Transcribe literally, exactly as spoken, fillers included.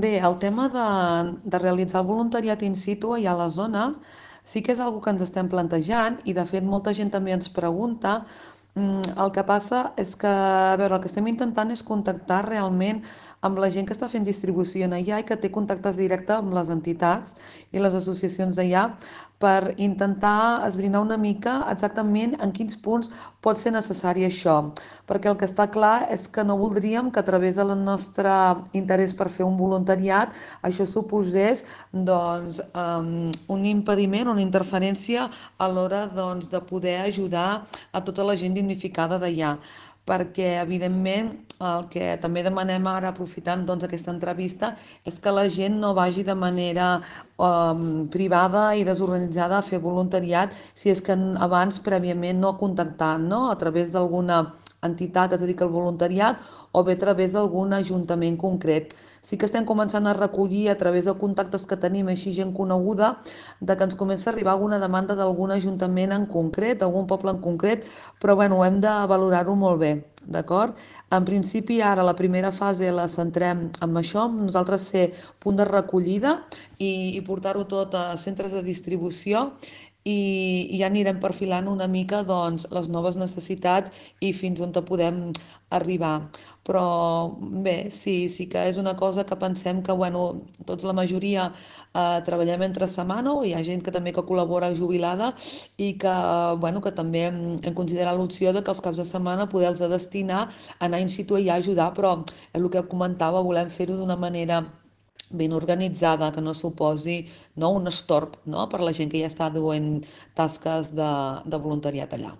Bé, el tema de, de realitzar el voluntariat in situ allà a la zona sí que és una que ens estem plantejant i de fet molta gent també ens pregunta. Mm, El que passa és que, a veure, el que estem intentant és contactar realment amb la gent que està fent distribució en allà i que té contactes directes amb les entitats i les associacions d'allà per intentar esbrinar una mica exactament en quins punts pot ser necessari això. Perquè el que està clar és que no voldríem que a través del nostre interès per fer un voluntariat això suposés doncs, um, un impediment, una interferència a l'hora doncs, de poder ajudar a tota la gent dignificada d'allà perquè evidentment el que també demanem ara aprofitant doncs, aquesta entrevista és que la gent no vagi de manera um, privada i desorganitzada a fer voluntariat si és que abans prèviament no ha contactat, no? A través d'alguna entitat que es dedica al voluntariat o bé a través d'algun ajuntament concret. Sí que estem començant a recollir a través de contactes que tenim així gent coneguda de que ens comença a arribar alguna demanda d'algun ajuntament en concret, d'algun poble en concret, però bueno, hem de valorar-ho molt bé, d'acord? En principi ara la primera fase la centrem en això, amb nosaltres ser punt de recollida i, i portar-ho tot a centres de distribució i, i ja anirem perfilant una mica doncs, les noves necessitats i fins on te podem arribar. Però bé, sí, sí que és una cosa que pensem que, bueno, tots la majoria eh, treballem entre setmana o hi ha gent que també que col·labora jubilada i que, bueno, que també hem, hem considerat l'opció de que els caps de setmana poder-los destinar a anar in situ i a ajudar, però és el que comentava, volem fer-ho d'una manera ben organitzada, que no suposi no, un estorb no, per la gent que ja està duent tasques de, de voluntariat allà.